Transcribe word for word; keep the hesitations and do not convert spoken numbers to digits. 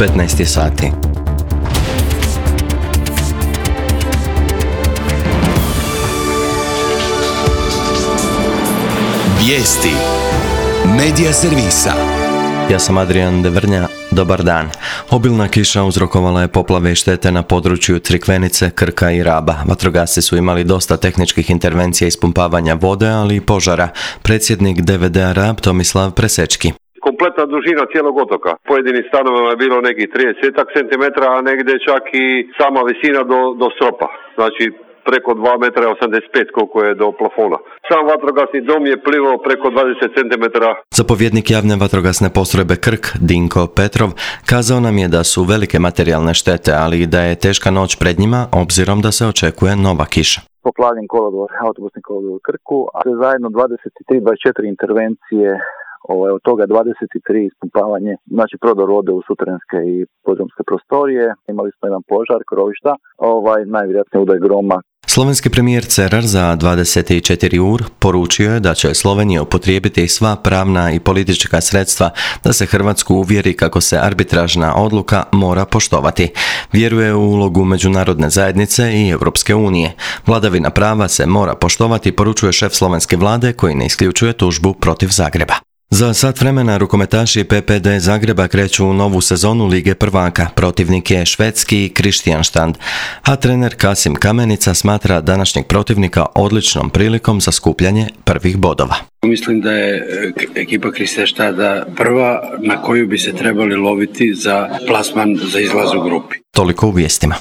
petnaest je sati. Vijesti Medija servisa. Ja sam Adrian Devrnja, dobar dan. Obilna kiša uzrokovala je poplave i štete na području Crikvenice, Krka i Raba. Vatrogasci su imali dosta tehničkih intervencija ispumpavanja vode, ali i požara. Predsjednik D V D-a Rab Tomislav Presečki. Kompletna dužina cijelog otoka. Pojedinim stanovima je bilo nekih trideset centimetara, a negdje čak i sama visina do, do stropa. Znači preko dva metra osamdeset pet koliko je do plafona. Sam vatrogasni dom je plivao preko dvadeset centimetara. Zapovjednik javne vatrogasne postrojbe Krk, Dinko Petrov, kazao nam je da su velike materijalne štete, ali i da je teška noć pred njima, obzirom da se očekuje nova kiša. Poplavljen kolodvor, autobusni kolodvor u Krku, a zajedno dvadeset tri do dvadeset četiri intervencije, ovaj, od toga dvadeset tri ispumpavanje, znači prodor vode u suterenske i podzemske prostorije. Imali smo jedan požar, krovišta, ovaj, najvjerojatnije udar groma. Slovenski premijer Cerar za dvadeset četiri ur poručio je da će Slovenija upotrijebiti sva pravna i politička sredstva da se Hrvatsku uvjeri kako se arbitražna odluka mora poštovati. Vjeruje u ulogu međunarodne zajednice i Europske unije. Vladavina prava se mora poštovati, poručuje šef slovenske vlade koji ne isključuje tužbu protiv Zagreba. Za sat vremena rukometaši P P D Zagreba kreću u novu sezonu Lige prvaka. Protivnik je švedski Kristianstad, a trener Kasim Kamenica smatra današnjeg protivnika odličnom prilikom za skupljanje prvih bodova. Mislim da je ekipa Kristianstada prva na koju bi se trebali loviti za plasman za izlaz u grupi. Toliko u vijestima.